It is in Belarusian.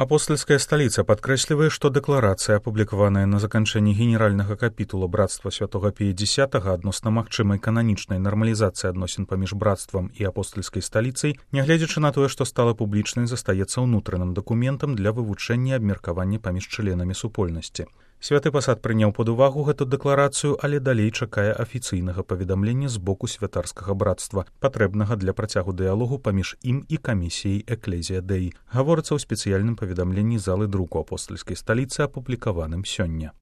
Апостольская столица падкрэслівае, што дэкларацыя, апублікаваная на заканчэнні генеральнага капітула братства святога Пія X адносна магчымай кананічнай нармалізацыі адносін паміж братствам і апостольскай сталіцай, нягледзячы на тое, што стала публічнай, застаецца ўнутраным дакументам для вывучэння і абмеркавання паміж членамі супольнасці. Святы пасад прыняў пад увагу гэту дэкларацыю, але далей чакае афіцыйнага паведамлення з боку святарскага братства, патрэбнага для працягу дыялогу паміж ім і камісіяй Экклезія Дэі, гаворыцца ў спецыяльным паведамленні залы друку апостальскай сталіцы, апублікаваным сёння.